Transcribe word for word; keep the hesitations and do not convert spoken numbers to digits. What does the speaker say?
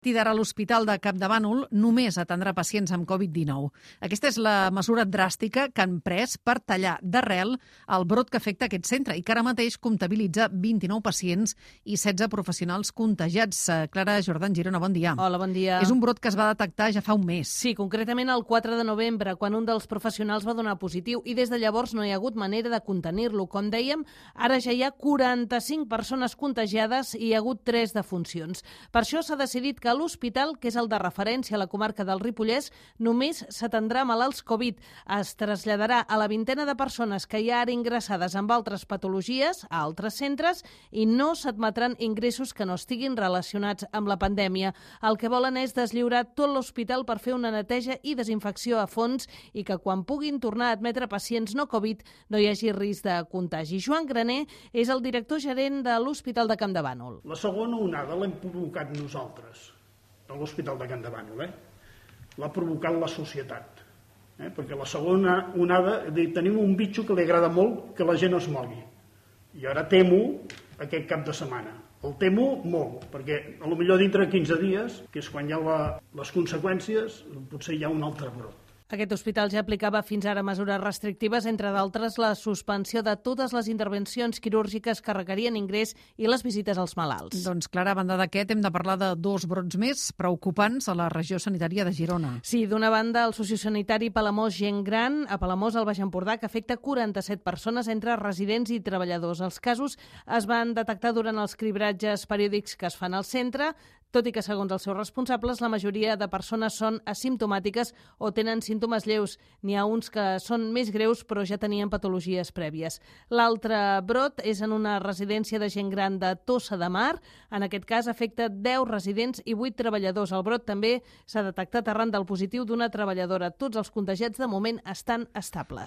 I d'ara l'Hospital de Campdevànol només atendrà pacients amb covid dinou. Aquesta és la mesura dràstica que han pres per tallar d'arrel el brot que afecta aquest centre i que ara mateix comptabilitza vint-i-nou pacients i setze professionals contagiats. Clara Jordan Girona, bon dia. Hola, bon dia. És un brot que es va detectar ja fa un mes. Sí, concretament el quatre de novembre, quan un dels professionals va donar positiu i des de llavors no hi ha hagut manera de contenir-lo. Com dèiem, ara ja hi ha quaranta-cinc persones contagiades i hi ha hagut tres defuncions. Per això s'ha decidit que a l'hospital, que és el de referència a la comarca del Ripollès, només s'atendrà malalts Covid. Es traslladarà a la vintena de persones que hi ha ara ingressades amb altres patologies a altres centres i no s'admetran ingressos que no estiguin relacionats amb la pandèmia. El que volen és deslliurar tot l'hospital per fer una neteja i desinfecció a fons i que quan puguin tornar a admetre pacients no Covid no hi hagi risc de contagi. Joan Graner és el director gerent de l'Hospital de Campdevànol. La segona onada l'hem provocat nosaltres, a l'Hospital de Campdevànol, eh? L'ha provocat la societat, eh? Perquè la segona onada, tenim un bitxo que li agrada molt que la gent es mogui, i ara temo aquest cap de setmana. El temo molt, perquè potser dintre de quinze dies, que és quan hi ha la, les conseqüències, potser hi ha un altre brot. Aquest hospital ja aplicava fins ara mesures restrictives, entre d'altres la suspensió de totes les intervencions quirúrgiques que requerien ingrés i les visites als malalts. Doncs, Clara, a banda d'aquest, hem de parlar de dos brots més preocupants a la regió sanitària de Girona. Sí, d'una banda, el sociosanitari Palamós Gent Gran, a Palamós, al Baix Empordà, que afecta quaranta-set persones entre residents i treballadors. Els casos es van detectar durant els cribratges periòdics que es fan al centre, tot i que, segons els seus responsables, la majoria de persones són asimptomàtiques o tenen símptomes lleus. N'hi ha uns que són més greus, però ja tenien patologies prèvies. L'altre brot és en una residència de gent gran de Tossa de Mar. En aquest cas, afecta deu residents i vuit treballadors. El brot també s'ha detectat arran del positiu d'una treballadora. Tots els contagiats, de moment, estan estables.